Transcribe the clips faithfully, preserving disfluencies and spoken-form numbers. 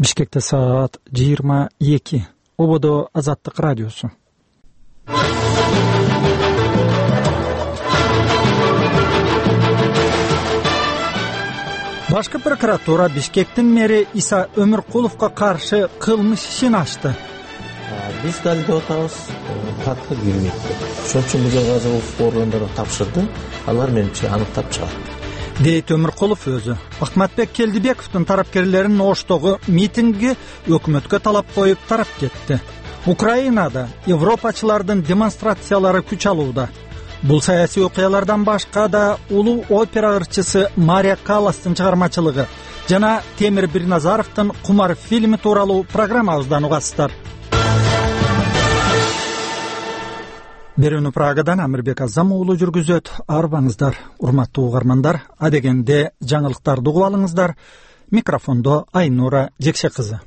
Бишкекте саат жыйырма эки. Ободо Азаттык радиосу. Башкы прокуратура Бишкектин мэри Иса Өмүркуловго каршы кылмыш ишин ачты. Биз далилдеп атабыз, факты кирмейт. Ошон үчүн бул жазылып органдарга тапшырды. Алар менимче аныктап чыгат. Дейт Өмүркулов өзү. Акматбек Келдибековдун тарапкерлеринин Оштогу митингге өкмөткө талап коюп тарап кетти. Украинада европачылардын демонстрациялары күч алууда. Бул саясий окуялардан башка да улуу опера ырчысы Мария Калластын чыгармачылыгы жана Темир Бирназаровдун Кумар фильми тууралуу программабыздан угасыздар. Берүүнү Прагадан Амирбек Азам уулу жүргүзөт. Арбаңыздар, урматтуу угармандар. Адегенде жаңылыктарды угуп алыңыздар. Микрофондо Айнура Жекше кызы.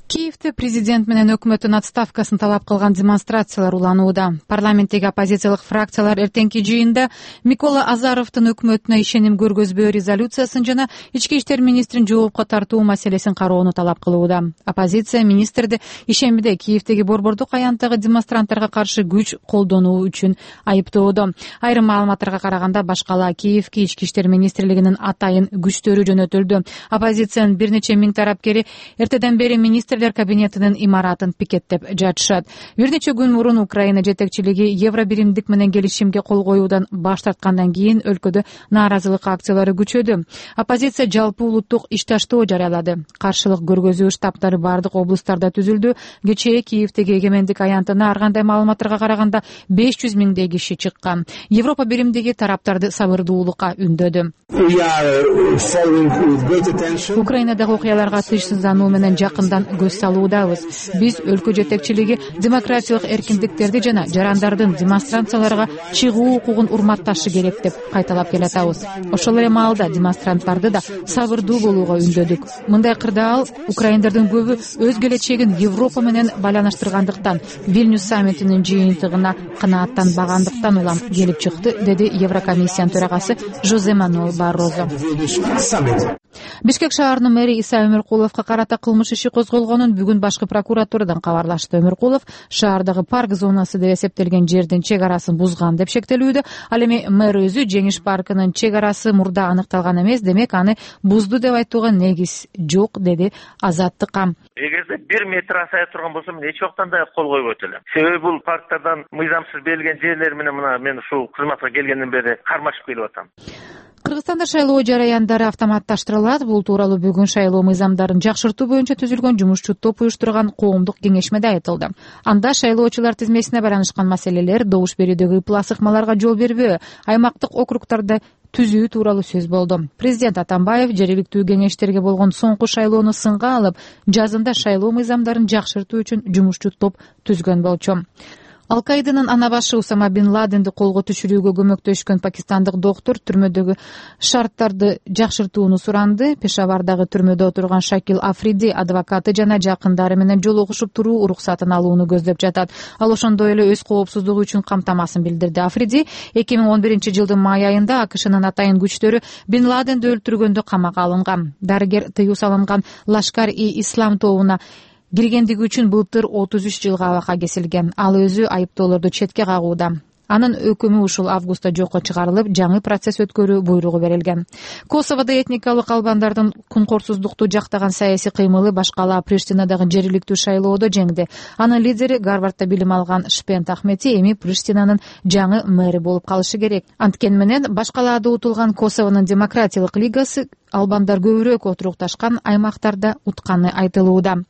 Киевде президент менен өкмөттүн отставкасын талап кылган демонстрациялар уланууда. Парламенттеги оппозициялык фракциялар эртеңки жыйында Микола Азаровдун өкмөтүнө ишеним көргөзбөө резолюциясын жана ички иштер министрин жоопко тартуу маселесин кароону талап кылууда. Оппозиция министрди ишембиде Киевдеги борбордук аянттагы демонстранттарга каршы күч колдонуу үчүн айыптоодо. Айрым маалыматтарга караганда башкала Киевге ички иштер министрлигинин атайын күчтөрү жөнөтүлдү. Оппозициянын бир нече миң тарапкери эртеден бери министр кабинетинин имаратын пикеттеп жатышат. Бир нече күн мурун Украина жетекчилиги евробиримдик менен келишимге кол коюудан баш тарткандан кийин өлкөдө нааразылык акциялары күчөдү. Оппозиция жалпы улуттук иш таштоо жарыялады. Каршылык көргөзүү штабтары бардык облустарда түзүлдү. Кечээ Киевдеги эгемендик аянтына ар кандай маалыматтарга караганда беш жүз миңдей киши чыккан. Европа биримдиги тараптарды сабырдуулукка үндөдү. Украинадагы окуяларга тынчсыздануу менен жакындан көз салуудабыз. Биз өлкө жетекчилиги демократиялык эркиндиктерди жана жарандардын демонстрацияларга чыгуу укугун урматташы керек деп кайталап келатабыз. Ошол эле маалда демонстранттарды да сабырдуу болууга үндөдүк. Мындай кырдаал украиндардын көбү өз келечегин Европа менен байланыштыргандыктан, Вильнюс саммитинин жыйынтыгына канааттанбагандыктан улам келип чыкты, деди Еврокомиссиянын төрагасы Жозе Мануэл Баррозо. Бишкек шаарынын мэри Иса Өмүркуловго карата кылмыш иши козголгонун бүгүн башкы прокуратурадан кабарлашты. Өмүркулов шаардагы парк зонасы деп эсептелген жердин чек арасын бузган деп шектелүүдө. Ал эми мэр өзү Жеңиш паркынын чек арасы мурда аныкталган эмес, демек аны бузду деп айтууга негиз жок, деди Азаттыкка. Эгерде бир метр асая турган болсо мен эч убактан да кол койбойт элем. Себеби бул парктардан мыйзамсыз берилген жерлер менен мына мен ушул кызматка келгенден бери кармашып келип атам. Кыргызстанда шайлоо жараяндары автоматташтырылат. Бул тууралуу бүгүн шайлоо мыйзамдарын жакшыртуу боюнча түзүлгөн жумушчу топ уюштурган коомдук кеңешмеде айтылды. Анда шайлоочулар тизмесине байланышкан маселелер, добуш берүүдөгү ыплас ыкмаларга жол бербөө, аймактык округдарды түзүү тууралуу сөз болду. Президент Атамбаев жергиликтүү кеңештерге болгон соңку шайлоону сынга алып, жазында шайлоо мыйзамдарын жакшыртуу үчүн жумушчу топ түзгөн болчу. Ал-Каиданын ана башы Усама бин Ладенди колго түшүрүүгө көмөктөшкөн пакистандык доктор түрмөдөгү шарттарды жакшыртууну суранды. Пешавардагы түрмөдө отурган Шакил Африди адвокаты жана жакындары менен жолугушуп туруу уруксатын алууну көздөп жатат. Ал ошондой эле өз коопсуздугу үчүн камтамасын билдирди. Африди эки миң он биринчи жылдын май айында АКШнын атайын күчтөрү бин Ладенди өлтүргөндө камакка алынган. Дарыгер тыюу салынган Лашкар-и-Ислам тобуна киргендиги үчүн былтыр отуз үч жылга абакка кесилген. Ал өзү айыптоолорду четке кагууда. Анын өкүмү ушул августта жокко чыгарылып, жаңы процесс өткөрүү буйругу берилген. Косоводо этникалык албандардын кункорсуздукту жактаган саясий кыймылы башкала Приштинадагы жергиликтүү шайлоодо жеңди. Анын лидери Гарвардда билим алган Шпент Ахмети эми Приштинанын жаңы мэри болуп калышы керек. Анткени менен башкалаада утулган Косовонун демократиялык лигасы албандар көбүрөөк отурукташкан аймактарда утканы айтылууда.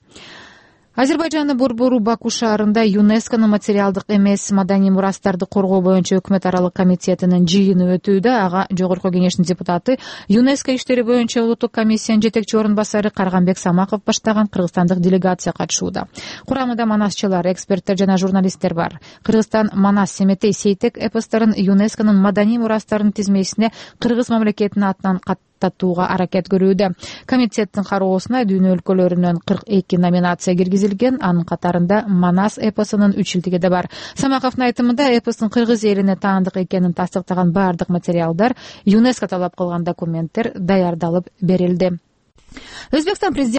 Азербайжандын борбору Баку шаарында ЮНЕСКОнун материалдык эмес маданий мурастарды коргоо боюнча өкмөт аралык комитетинин жыйыны өтүүдө. Ага жогорку кеңештин депутаты, ЮНЕСКО иштери боюнча улуттук комиссиянын жетекчи орун басары Карганбек Самаков баштаган кыргызстандык делегация катышууда. Курамында манасчылар, эксперттер жана журналисттер бар. Кыргызстан Манас Семетей Сейтек эпосторун ЮНЕСКОнун маданий мурастарынын тизмесине кыргыз мамлекетинин атынан татууга аракет көрүүдө. Комитеттин кароосуна дүйнө өлкөлөрүнөн кырк эки номинация киргизилген. Анын катарында Манас эпосунун үч илдиги да бар. Самаковдун айтымында эпостун кыргыз элине таандык экенин тастыктаган бардык материалдар, ЮНЕСКО талап кылган документтер даярдалып берилди. Өзбекстан президенти